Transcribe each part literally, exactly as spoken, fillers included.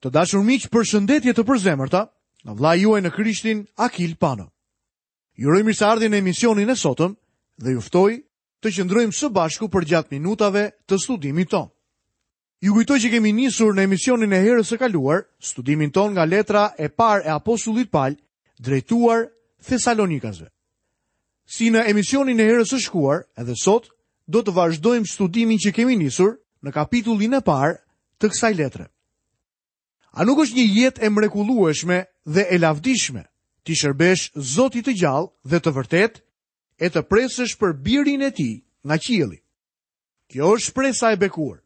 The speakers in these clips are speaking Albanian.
Të dashur miq, përshëndetje të përzemërta nga vëllai juaj në Krishtin, Akil Pano. Ju uroj mirëseardhjen në emisionin e sotëm dhe ju ftoj të qëndrojmë së bashku përgjatë minutave të studimit tonë. Ju kujtoj që kemi nisur në emisionin e herës së kaluar studimin tonë nga letra e parë e apostullit Pal drejtuar Thesalonikasve. Si në emisionin e herës së shkuar, edhe sot do të vazhdojmë studimin që kemi nisur në kapitullin e parë të kësaj letre. A nuk është një jetë e mrekullueshme dhe e lavdishme t'i shërbesh Zotit të gjallë dhe të vërtetë e të presësh për birin e tij nga qielli? Kjo është shpresa e bekuar.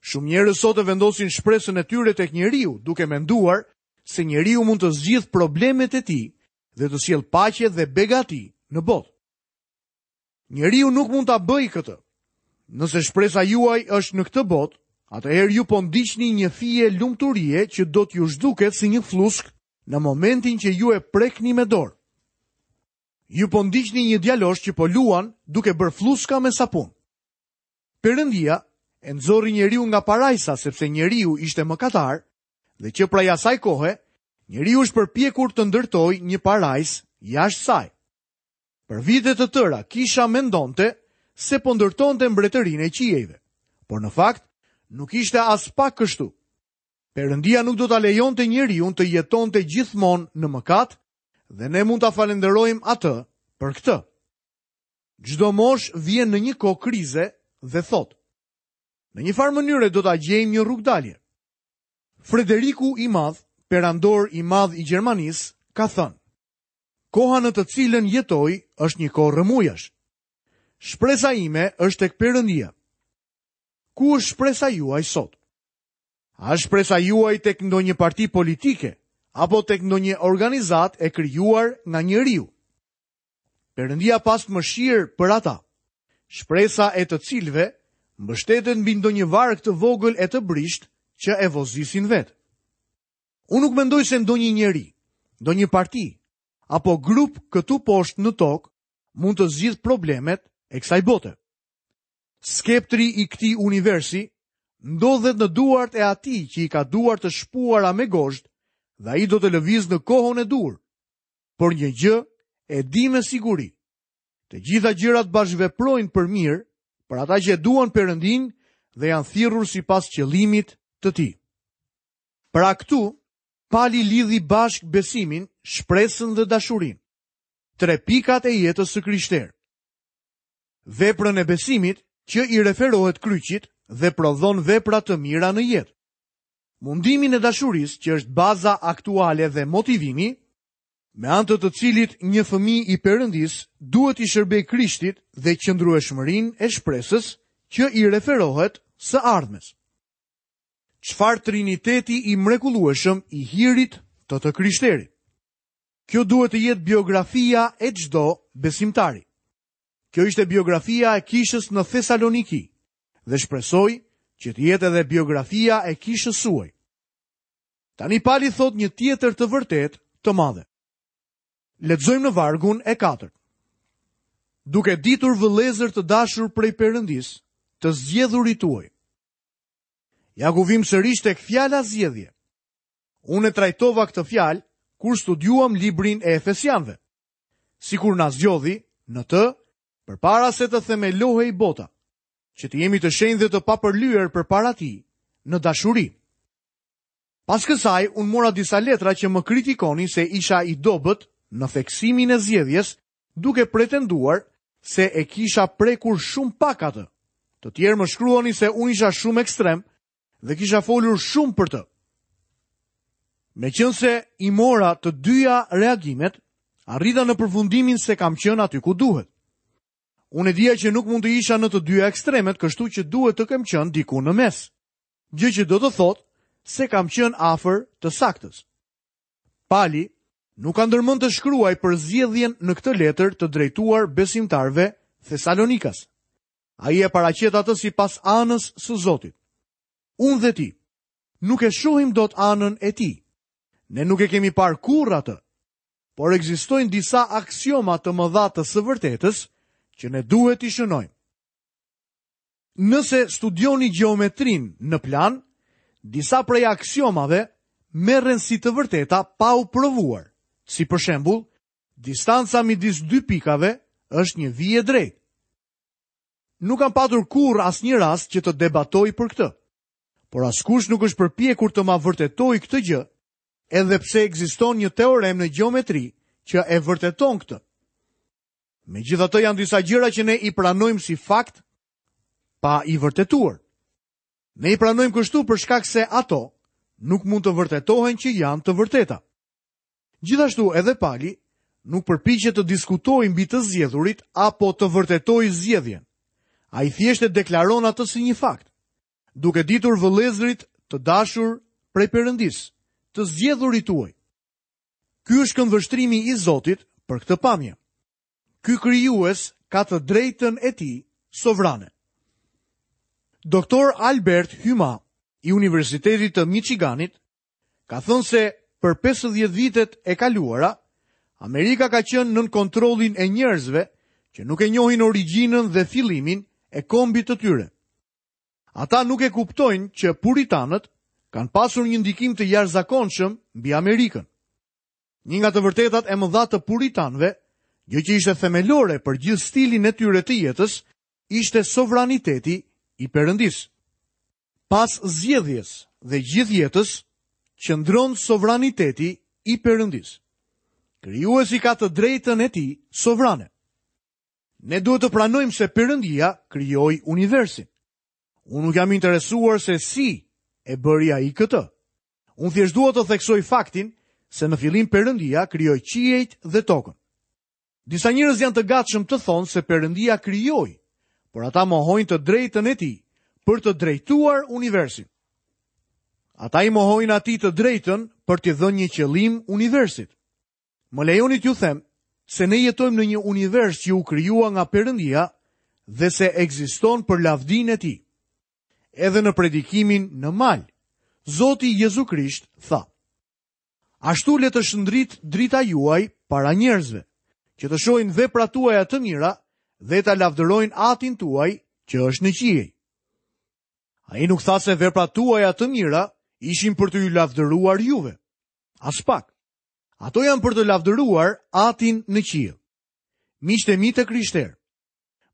Shumë njerëz sot e vendosin shpresën e tyre tek njeriu, duke menduar se njeriu mund të zgjidhë problemet e tij dhe të sjellë paqe dhe begati në botë. Njeriu nuk mund ta bëjë këtë. Nëse shpresa juaj është në këtë botë, atëherë ju po ndiqni një fije lumturie që do t'ju zhduket si një flusk në momentin që ju e prekni me dorë. Ju po ndiqni një djalosh që po luan duke bërë fluska me sapun. Perëndia e nxori njeriu nga parajsa sepse njeriu ishte mëkatar dhe që prej asaj kohe njeriu është përpjekur të ndërtojë një parajsë jashtë saj. Për vite të tëra kisha mendonte se po ndërtonte mbretërinë e qiejve, por në fakt nuk ishte as pak kështu. Perëndia nuk do ta lejonte njeriun të jetonte gjithmonë në mëkat dhe ne mund ta falenderojmë atë për këtë. Çdo mosh vjen në një kohë krize dhe thotë: Në një farë mënyre do ta gjejmë një rrugdalje. Frederiku i Madh, perandor i madh i Gjermanisë, ka thënë: Koha në të cilën jetoj është një kohë rrëmujash. Shpresa ime është tek Perëndia. Ku është shpresa juaj sot? A është shpresa juaj tek ndonjë parti politike apo tek ndonjë organizatë e krijuar nga njeriu? Perëndia pas mëshirë për ata, shpresa e të cilëve mbështetet mbi ndonjë varg të vogël e të brisht që e vozisin vetë. Unë nuk mendoj se ndonjë njeri, ndonjë parti apo grup këtu poshtë në tokë mund të zgjidh problemet e kësaj bote. Skeptri i këtij universi ndodhet në duart e atij që i ka duart të shpuara me gozhd dhe ai do të lëviz në kohën e duhur. Por një gjë e di me siguri. Të gjitha gjërat bashkëveprojnë për mirë për ata që e duan Perëndin dhe janë thirrur sipas qëllimit të tij. Pra këtu, Pali lidhi bashkë besimin, shpresën dhe dashurinë. Tre pikat e jetës së krishterë. Veprën e besimit që i referohet kryqit dhe prodhon vepra të mira në jetë. Mundimin e dashurisë që është baza aktuale dhe motivimi, me anë të të cilit një fëmijë i Perëndisë duhet i shërbej Krishtit dhe qëndrueshmërinë e shpresës që i referohet së ardhmes. Çfarë triniteti i mrekullueshëm i hirit të të krishterit. Kjo duhet të jetë biografia e çdo besimtari. Kjo ishte biografia e kishës në Thesaloniki dhe shpresoj që të jetë edhe biografia e kishës suaj. Tani Pali thot një tjetër të vërtetë të madhe. Lexojmë në vargun e katërt. Duke ditur vëllezër të dashur prej Perëndisë, të zgjedhurit tuaj. Ja ku vim sërish tek fjala zgjedhje. Unë e trajtova këtë fjalë kur studiuam librin e Efesianëve. Sikur na zgjodhi në të përpara se të themelohej bota, që të jemi të shenjtë dhe të papërlyer përpara tij në dashuri. Pas kësaj, unë mora disa letra që më kritikonin se isha i dobët në theksimin e zgjedhjes, duke pretenduar se e kisha prekur shumë pak atë. Të tjerë më shkruanin se unë isha shumë ekstrem dhe kisha folur shumë për të. Meqense i mora të dyja reagimet, arrita në përfundimin se kam qenë aty ku duhet. Unë e dija që nuk mund të isha në të dyja ekstremet, kështu që duhet të kem qenë diku në mes. Gjë që do të thotë se kam qenë afër të saktës. Pali nuk ka ndërmend të shkruaj për zgjedhjen në këtë letër të drejtuar besimtarëve Thesalonikas. Ai e paraqet atë sipas anës së Zotit. Unë dhe ti nuk e shohim dot anën e tij. Ne nuk e kemi parë kurrë atë. Por ekzistojnë disa aksioma të mëdha të së vërtetës që ne duhet t'i shënojmë. Nëse studioni gjeometrinë në plan, disa prej aksiomave merren si të vërteta pa u provuar. Si për shembull, distanca midis dy pikave është një vijë e drejtë. Nuk kam patur kurrë asnjë rast që të debatoj për këtë. Por askush nuk është përpjekur të ma vërtetojë këtë gjë, edhe pse ekziston një teorem në gjeometri që e vërteton këtë. Megjithatë janë disa gjëra që ne i pranojmë si fakt pa i vërtetuar. Ne i pranojmë kështu për shkak se ato nuk mund të vërtetohen që janë të vërteta. Gjithashtu edhe Pali nuk përpiqet të diskutojë mbi të zgjedhurit apo të vërtetojë zgjedhjen. Ai thjesht e deklaron atë si një fakt, duke ditur vëllezërit të dashur prej Perëndisë, të zgjedhurit tuaj. Ky është këndvështrimi i Zotit për këtë pamje. Ky krijues ka të drejtën e tij sovrane. Doktor Albert Hyma i Universitetit të Michiganit ka thënë se për pesëdhjetë vitet e kaluara, Amerika ka qenë nën kontrollin e njerëzve që nuk e njohin origjinën dhe fillimin e kombit të tyre. Ata nuk e kuptojnë që puritanët kanë pasur një ndikim të jashtëzakonshëm mbi Amerikën. Një nga të vërtetat e mëdha të puritanëve, gjë që ishte themelore për gjithë stilin e tyre të jetës, ishte sovraniteti i Perëndisë. Pas zgjedhjes dhe gjithë jetës, qëndron sovraniteti i Perëndisë. Krijuesi ka të drejtën e tij sovrane. Ne duhet të pranojmë se Perëndia krijoi universin. Unë nuk jam interesuar se si e bëri ai këtë. Unë thjesht dua të theksoj faktin se në fillim Perëndia krijoi qiejt dhe tokën. Disa njerëz janë të gatshëm të thonë se Perëndia krijoi, por ata mohojnë të drejtën e tij për të drejtuar universin. Ata i mohojnë atij të drejtën për t'i dhënë një qëllim universit. Më lejoni t'ju them se ne jetojmë në një univers që u krijua nga Perëndia dhe se ekziston për lavdinë e tij. Edhe në predikimin në mal, Zoti Jezu Krisht tha: Ashtu le të shndrit drita juaj para njerëzve, që të shohin veprat tuaja të mira dhe ta lavdërojnë Atin tuaj që është në qiej. Ai nuk tha se veprat tuaja të mira ishin për të ju lavdëruar juve. Aspak. Ato janë për të lavdëruar Atin në qiell. Miqtë e mi të krishterë,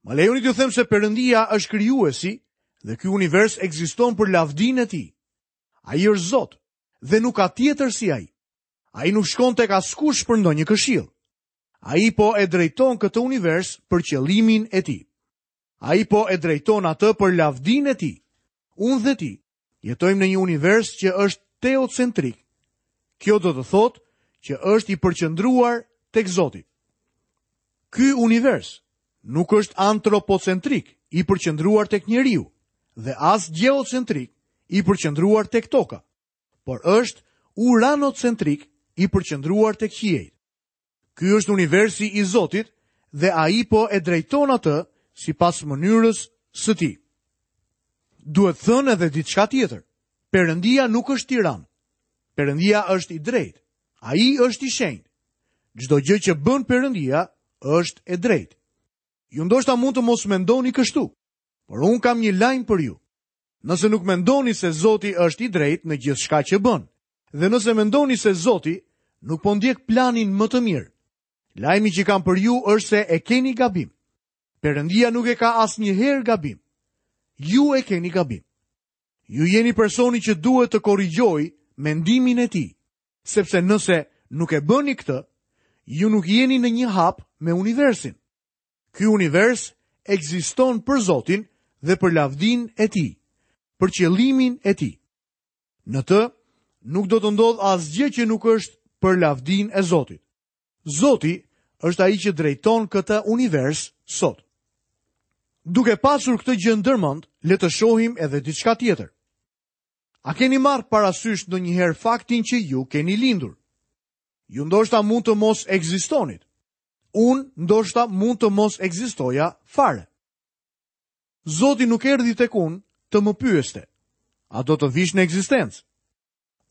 më lejoni t'ju them se Perëndia është krijuesi dhe ky univers ekziston për lavdinë e tij. Ai është Zot dhe nuk ka tjetër si ai. Ai nuk shkon tek askush për ndonjë këshill. Ai po e drejton këtë univers për qëllimin e tij. Ai po e drejton atë për lavdinë e tij. Unë dhe ti jetojmë në një univers që është teocentrik. Kjo do të thotë që është i përqendruar tek Zoti. Ky univers nuk është antropocentrik, i përqendruar tek njeriu, dhe as gjeocentrik, i përqendruar tek toka, por është uranocentrik, i përqendruar tek qiejt. Ky është universi i Zotit dhe ai po e drejton atë sipas mënyrës së tij. Duhet thënë edhe diçka tjetër. Perëndia nuk është tiran. Perëndia është i drejtë. Ai është i shenjtë. Çdo gjë që bën Perëndia është e drejtë. Ju ndoshta mund të mos mendoni kështu, por unë kam një lajm për ju. Nëse nuk mendoni se Zoti është i drejtë në gjithçka që bën, dhe nëse mendoni se Zoti nuk po ndjek planin më të mirë, lajmi që kam për ju është se e keni gabim. Perëndia nuk e ka asnjëherë gabim. Ju e keni gabim. Ju jeni personi që duhet të korrigjojë mendimin e tij, sepse nëse nuk e bëni këtë, ju nuk jeni në një hap me universin. Ky univers ekziston për Zotin dhe për lavdinë e tij, për qëllimin e tij. Në të nuk do të ndodhë asgjë që nuk është për lavdinë e Zotit. Zoti është ai që drejton këtë univers sot. Duke pasur këtë gjë ndërmend, le të shohim edhe diçka tjetër. A keni marrë parasysh ndonjëherë faktin që ju keni lindur? Ju ndoshta mund të mos ekzistonit. Unë ndoshta mund të mos ekzistoja fare. Zoti nuk erdhi tek unë të më pyeste: a do të vish në ekzistencë?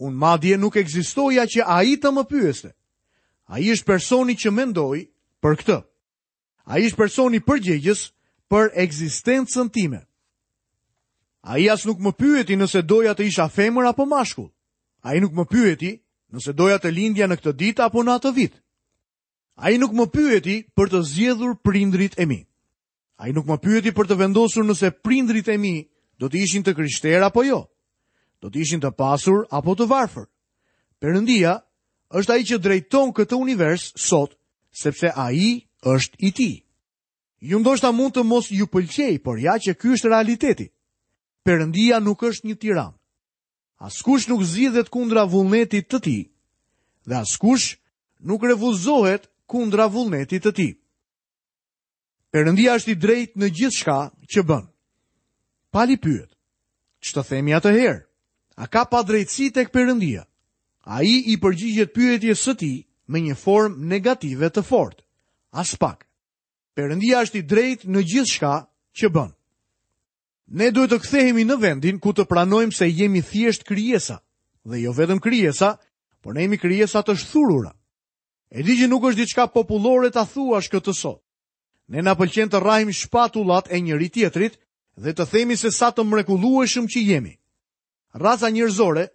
Unë madje nuk ekzistoja që ai të më pyeste. Ai është personi që mendoi për këtë. Ai është personi përgjegjës për ekzistencën time. Ai as nuk më pyeti nëse doja të isha femër apo mashkull. Ai nuk më pyeti nëse doja të lindja në këtë ditë apo në atë vit. Ai nuk më pyeti për të zgjedhur prindrit e mi. Ai nuk më pyeti për të vendosur nëse prindrit e mi do të ishin të krishterë apo jo, do të ishin të pasur apo të varfër. Perëndia është ai që drejton këtë univers sot, sepse ai është i tij. Ju ndoshta mund të mos ju pëlqej, por ja që ky është realiteti. Perëndia nuk është një tiran. Askush nuk zgjidhet kundra vullnetit të tij dhe askush nuk refuzohet kundra vullnetit të tij. Perëndia është i drejtë në gjithçka që bën. Pali pyet: "Ç'të themi atëherë? A ka padrejtësi tek Perëndia?" Ai i përgjigjet pyetjes së tij me një formë negative të fortë. Aspak. Perëndia është i drejtë në gjithçka që bën. Ne duhet të kthehemi në vendin ku të pranojmë se jemi thjesht krijesa, dhe jo vetëm krijesa, por ne jemi krijesa të shthurura. E di që nuk është diçka popullore ta thuash këtë sot. Ne na pëlqen të rrahim shpatullat e njëri tjetrit dhe të themi se sa të mrekullueshëm që jemi. Raca njerëzore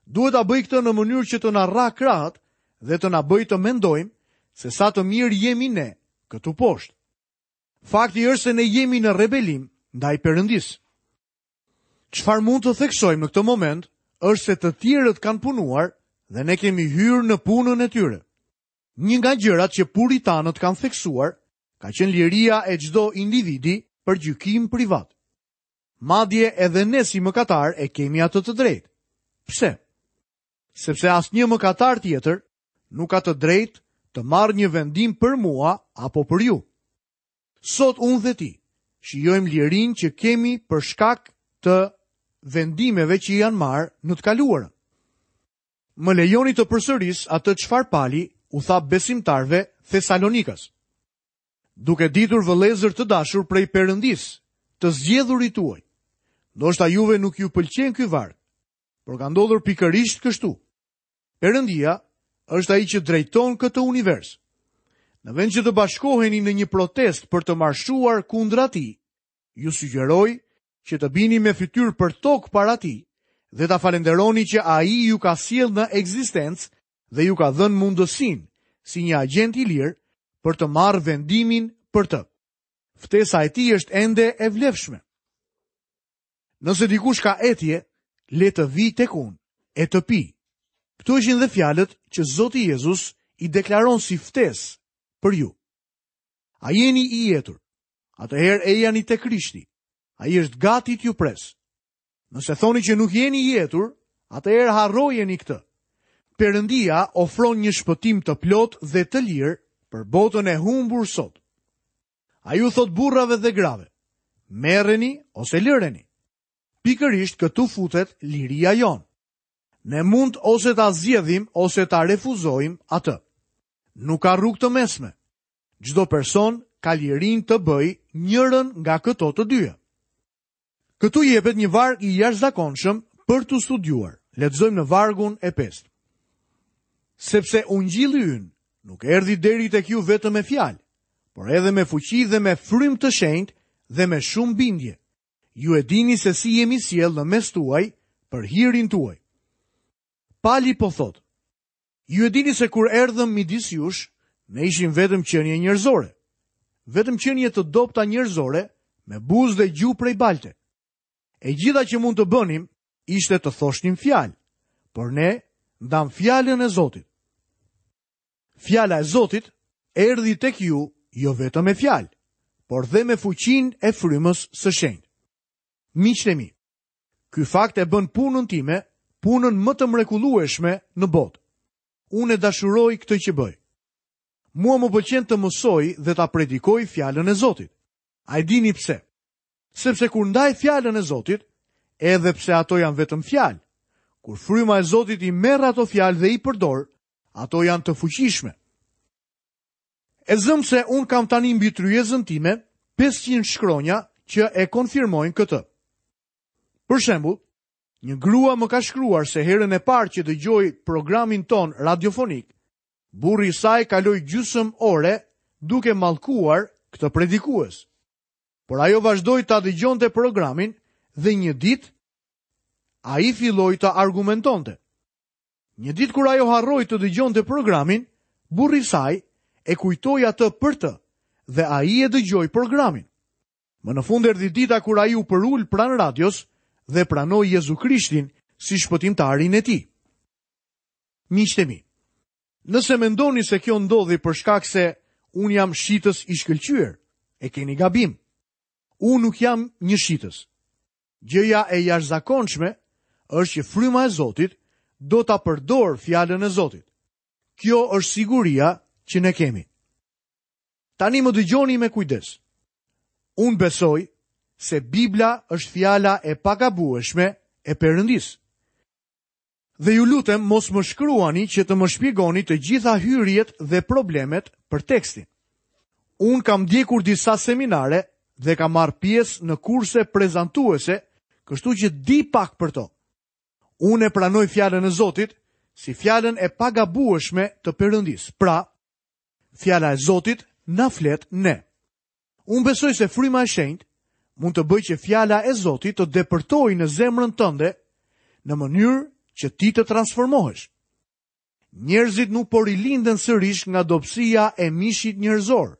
duhet ta bëjë këtë në mënyrë që të na rrah krahët dhe të na bëjë të mendojmë se sa të mirë jemi ne këtu poshtë. Fakti është se ne jemi në rebelim ndaj Perëndisë. Çfarë mund të theksojmë në këtë moment është se të tjerët kanë punuar dhe ne kemi hyrë në punën e tyre. Një nga gjërat që puritanët kanë theksuar ka qenë liria e çdo individi për gjykim privat. Madje edhe ne si mëkatar e kemi atë të drejtë. Pse? Sepse asnjë mëkatar tjetër nuk ka të drejtë të marrë një vendim për mua apo për ju. Sot unë dhe ti shijojmë lirinë që kemi për shkak të vendimeve që janë marrë në të kaluarën. Më lejoni të përsëris atë çfarë Pali u tha besimtarëve Thesalonikas. Duke ditur vëllezër të dashur prej Perëndisë, të zgjedhurit tuaj. Ndoshta juve nuk ju pëlqen ky varg, por ka ndodhur pikërisht kështu. Perëndia është ai që drejton këtë univers. Në vend që të bashkoheni në një protestë për të marshuar kundra tij, ju sugjeroj që të bini me fytyrë për tokë para tij dhe ta falenderoni që ai ju ka sjellë në ekzistencë dhe ju ka dhënë mundësinë si një agjent i lirë për të marrë vendimin për të. Ftesa e tij është ende e vlefshme. Nëse dikush ka etje, le të vijë tek unë e të pi. Këto ishin dhe fjalët që Zoti Jezus i deklaron si ftesë për ju. A jeni i etur? Atëherë ejani te Krishti. Ai është gati t'ju pres. Nëse thoni që nuk jeni i etur, atëherë harrojeni këtë. Perëndia ofron një shpëtim të plot dhe të lirë për botën e humbur sot. Ai u thot burrave dhe grave, merreni ose lëreni. Pikërisht këtu futet liria jonë. Ne mund ose ta zgjedhim ose ta refuzojmë atë. Nuk ka rrugë të mesme. Çdo person ka lirinë të bëjë njërën nga këto të dyja. Këtu jepet një varg i jashtëzakonshëm për t'u studiuar. Lexojmë në vargun e pestë. Sepse ungjilli ynë nuk erdhi deri tek ju vetëm me fjalë, por edhe me fuqi dhe me frymë të shenjtë dhe me shumë bindje. Ju e dini se si jemi sjellë në mes tuaj për hirin tuaj. Pali po thotë, ju e dini se kur erdhëm midis jush, ne ishim vetëm qenie njerëzore, vetëm qenie të dobta njerëzore, me buzë dhe gjuhë prej balte. E gjitha që mund të bënim ishte të thoshnim fjalë, por ne ndam fjalën e Zotit. Fjala e Zotit erdhi tek ju jo vetëm me fjalë, por dhe me fuqinë e frymës së shenjtë. Miqtë e mi, ky fakt e bën punën time punën më të mrekullueshme në botë. Unë e dashuroj këtë që bëj. Mua më pëlqen të mësoj dhe ta predikoj fjalën e Zotit. A e dini pse? Sepse kur ndaj fjalën e Zotit, edhe pse ato janë vetëm fjalë, kur fryma e Zotit i merr ato fjalë dhe i përdor, ato janë të fuqishme. E zëm se unë kam tani mbi tryezën time pesëqind shkronja që e konfirmojnë këtë. Për shembull, një grua më ka shkruar se herën e parë që dëgjoi programin ton radiofonik, burri i saj kaloi gjysmë ore duke mallkuar këtë predikues. Por ajo vazhdoi ta dëgjonte programin dhe një ditë ai filloi të argumentonte. Një ditë kur ajo harroi të dëgjonte programin, burri i saj e kujtoi atë për të dhe ai e dëgjoi programin. Më në fund erdhi dita kur ai u përul pranë radios dhe pranoi Jezu Krishtin si shpëtimtarin e tij. Miqtë e mi, nëse mendoni se kjo ndodhi për shkak se unë jam shitës i shkëlqyer, e keni gabim. Unë nuk jam një shitës. Gjëja e jashtëzakonshme është që fryma e Zotit do ta përdor fjalën e Zotit. Kjo është siguria që ne kemi. Tani më dëgjoni me kujdes. Unë besoj se Bibla është fjala e pagabueshme e Perëndisë. Dhe ju lutem mos më shkruani që të më shpjegoni të gjitha hyrjet dhe problemet për tekstin. Unë kam ndjekur disa seminare dhe kam marrë pjesë në kurse prezantuese, kështu që di pak për to. Unë e pranoj fjalën e Zotit si fjalën e pagabueshme të Perëndisë. Pra, fjala e Zotit na flet ne. Unë besoj se fryma e shenjtë mund të bëjë që fjala e Zotit të depërtojë në zemrën tënde në mënyrë që ti të transformohesh. Njerëzit nuk po rilinden sërish nga dobësia e mishit njerëzor,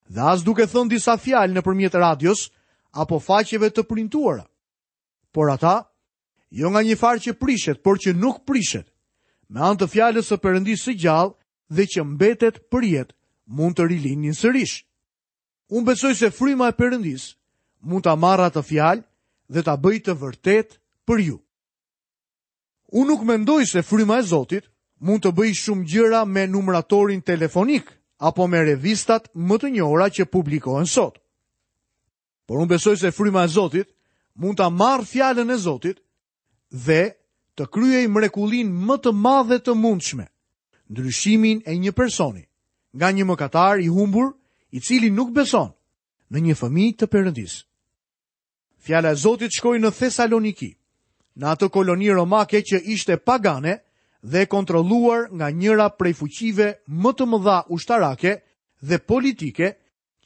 dhe as duke thënë disa fjalë nëpërmjet radios apo faqeve të printuara. Por ata, jo nga një farë që prishet, por që nuk prishet, me anë të fjalës së Perëndisë së gjallë dhe që mbetet për jetë, mund të rilindin sërish. Unë besoj se fryma e Perëndisë mund ta marrë atë fjalë dhe ta bëjë të vërtetë për ju. Unë nuk mendoj se fryma e Zotit mund të bëjë shumë gjëra me numratorin telefonik apo me revistat më të njohura që publikohen sot. Por unë besoj se fryma e Zotit mund ta marrë fjalën e Zotit dhe të kryejë mrekullinë më të madhe të mundshme, ndryshimin e një personi nga një mëkatar i humbur, i cili nuk beson, në një fëmijë të Perëndisë. Fjala e Zotit shkoi në Thesaloniki, në atë koloni romake që ishte pagane dhe kontrolluar nga njëra prej fuqive më të mëdha ushtarake dhe politike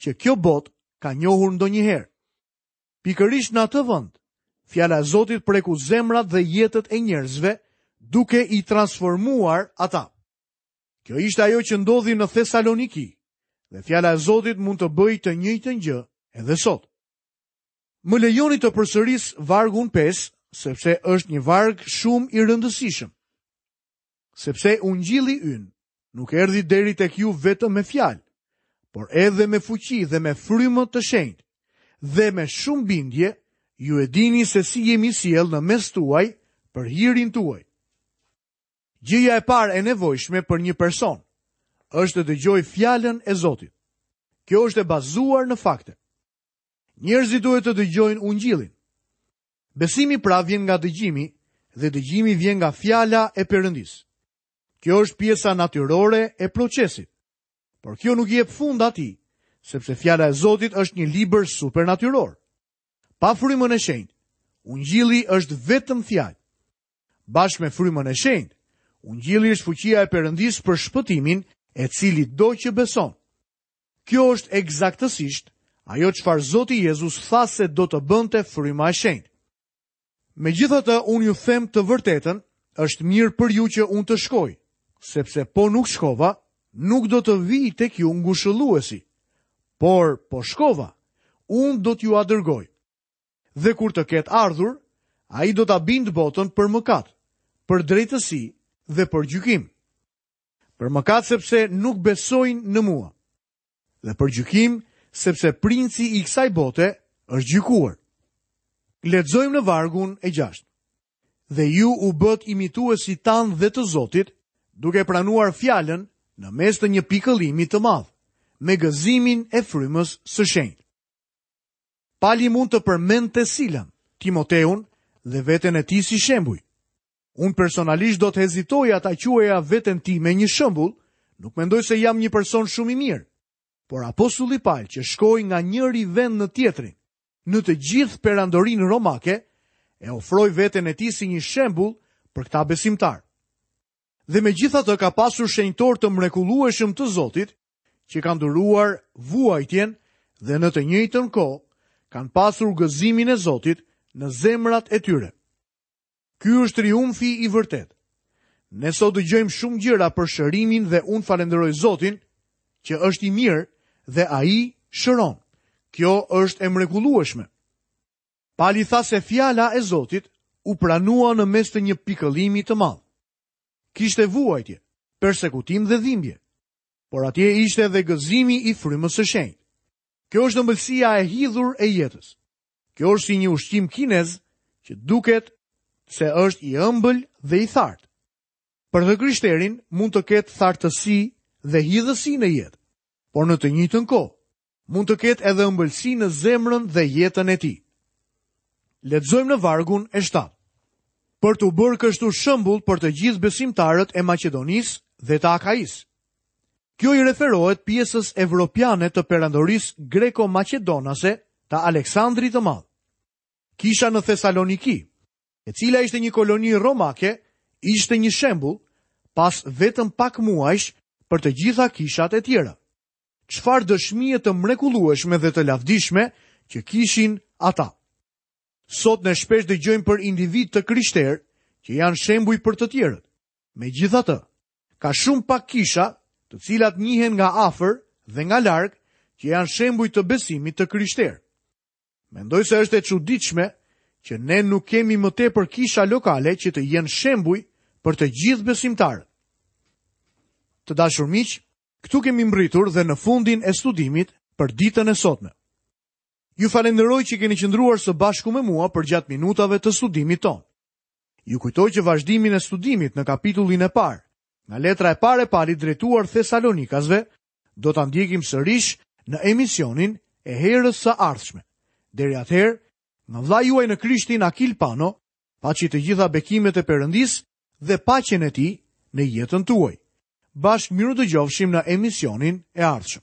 që kjo botë ka njohur ndonjëherë. Pikërisht në atë vend, fjala e Zotit preku zemrat dhe jetët e njerëzve, duke i transformuar ata. Kjo ishte ajo që ndodhi në Thesaloniki, dhe fjala e Zotit mund të bëjë të njëjtën gjë edhe sot. Më lejoni të përsëris vargun pesë, sepse është një varg shumë i rëndësishëm. Sepse ungjilli ynë nuk erdhi deri tek ju vetëm me fjalë, por edhe me fuqi dhe me frymë të shenjtë, dhe me shumë bindje ju e dini se si jemi sjellë në mes tuaj për hirin tuaj. Gjëja e parë e nevojshme për një person është të dëgjojë fjalën e Zotit. Kjo është e bazuar në fakte. Njerëzit duhet të dëgjojnë ungjillin. Besimi pra vjen nga dëgjimi dhe dëgjimi vjen nga fjala e Perëndisë. Kjo është pjesa natyrore e procesit. Por kjo nuk i jep fund atij, sepse fjala e Zotit është një libër supernatyror. Pa frymën e shenjtë, ungjilli është vetëm fjalë. Bashkë me frymën e shenjtë, ungjilli është fuqia e Perëndisë për shpëtimin e cilit do që beson. Kjo është eksaktësisht ajo çfarë Zoti Jezus tha se do të bënte fryma e shenjtë. Megjithatë, unë ju them të vërtetën, është mirë për ju që unë të shkoj, sepse po nuk shkova, nuk do të vij tek ju ngushëlluesi, por po shkova, unë do t'ju dërgoj. Dhe kur të ketë ardhur, ai do ta bindë botën për mëkat, për drejtësi dhe për gjykim. Për mëkat sepse nuk besojnë në mua, dhe për gjykim sepse princi i kësaj bote është gjykuar. Lexojmë në vargun e gjashtë. Dhe ju u bët imituesit tanë dhe të Zotit, duke pranuar fjalën në mes të një pikëllimi të madh, me gëzimin e frymës së shenjtë. Pali mund të përmendte Silën, Timoteun dhe veten e tij si shembuj. Unë personalisht do të hezitoja ta quaja veten time një shembull, nuk mendoj se jam një person shumë i mirë, por apostulli Pal që shkoi nga njëri vend në tjetrin, në të gjithë perandorinë romake, e ofroi veten e tij si një shembull për këta besimtar. Dhe megjithatë ka pasur shenjtor të mrekullueshëm të Zotit, që kanë duruar vuajtjen dhe në të njëjtën kohë kanë pasur gëzimin e Zotit në zemrat e tyre. Ky është triumfi i vërtet. Ne sot dëgjojmë shumë gjëra për shërimin dhe unë falenderoj Zotin që është i mirë dhe ai shëron. Kjo është e mrekullueshme. Pali tha se fjala e Zotit u pranua në mes të një pikëllimi të madh. Kishte vuajtje, persekutim dhe dhimbje, por atje ishte edhe gëzimi i frymës së shenjtë. Kjo është ëmbëlsia e hidhur e jetës. Kjo është si një ushqim kinez që duket se është i ëmbël dhe i thartë. Për të krishterin mund të ketë thartësi dhe hidhësi në jetë, por në të njëjtën kohë mund të ketë edhe ëmbëlsi në zemrën dhe jetën e tij. Lexojmë në vargun e shtatë. Për t'u bërë kështu shembull për të gjithë besimtarët e Maqedonisë dhe të Akaisë. Kjo i referohet pjesës evropiane të perandorisë greko-maqedonase të Aleksandrit të Madh. Kisha në Thesaloniki, e cila ishte një koloni romake, ishte një shembull pas vetëm pak muajsh për të gjitha kishat e tjera. Çfarë dëshmie të mrekullueshme dhe të lavdishme që kishin ata. Sot ne shpesh dëgjojmë për individë të krishterë që janë shembuj për të tjerët. Megjithatë, ka shumë pak kisha të cilat njihen nga afër dhe nga larg që janë shembuj të besimit të krishterë. Mendoj se është e çuditshme që ne nuk kemi më tepër kisha lokale që të jenë shembuj për të gjithë besimtarët. Të dashur miq, këtu kemi mbërritur dhe në fundin e studimit për ditën e sotme. Ju falenderoj që keni qëndruar së bashku me mua përgjatë minutave të studimit tonë. Ju kujtoj që vazhdimin e studimit në kapitullin e parë, nga letra e parë e Palit drejtuar Thesalonikasve, do ta ndjekim sërish në emisionin e herës së ardhshme. Deri atëherë, nga vëllai juaj në Krishtin Akil Pano, paçi të gjitha bekimet e Perëndisë dhe paqen e tij në jetën tuaj. Bashkë mirë dëgjofshim në emisionin e ardhshëm.